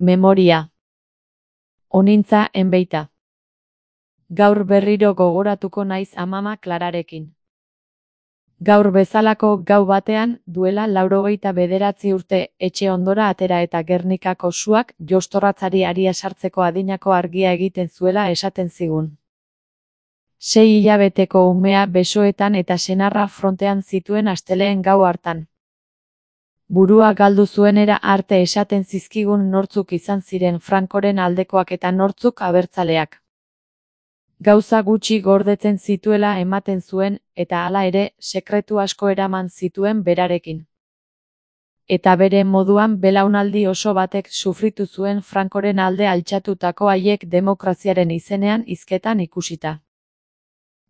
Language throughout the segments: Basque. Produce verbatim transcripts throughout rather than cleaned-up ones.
Memoria. Onintza enbeita. Gaur berriro gogoratuko naiz amama Klararekin. Gaur bezalako gau batean, duela laurogeita bederatzi urte, etxe ondora atera eta Gernikako suak jostorratzari aria sartzeko adinako argia egiten zuela esaten zigun. Sei hilabeteko umea besoetan eta senarra frontean zituen asteleen gau hartan. Burua galdu zuenera arte esaten zizkigun nortzuk izan ziren Francoren aldekoak eta nortzuk abertzaleak. Gauza gutxi gordetzen zituela ematen zuen, eta hala ere, sekretu asko eraman zituen berarekin. Eta bere moduan belaunaldi oso batek sufritu zuen Francoren alde altxatutako haiek demokraziaren izenean hizketan ikusita.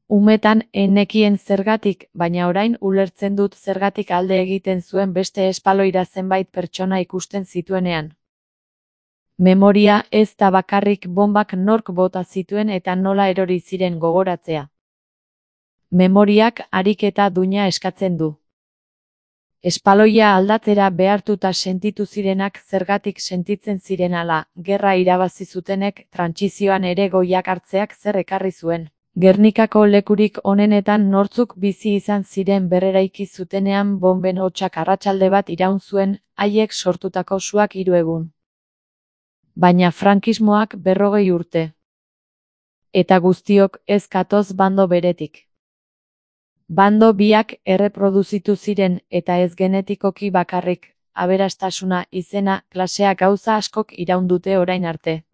Umetan enekien zergatik, baina orain ulertzen dut zergatik alde egiten zuen beste espaloira zenbait pertsona ikusten zituenean. Memoria ez da bakarrik bonbak nork bota zituen eta nola erori ziren gogoratzea. Memoriak ariketa duina eskatzen du. Espaloia aldatzera behartuta sentitu zirenak zergatik sentitzen ziren hala, gerra irabazi zutenek trantsizioan ere goiak hartzeak zer ekarri zuen. Gernikako lekurik onenetan nortzuk bizi izan ziren berreraiki zutenean bonben hotsak arratsalde bat iraun zuen, haiek sortutako suak hiru egun. Baina frankismoak berrogei urte. Eta guztiok ez gatoz bando beretik. Bando biak erreproduzitu ziren eta ez genetikoki bakarrik, aberastasuna, izena, klasea gauza askok iraun dute orain arte.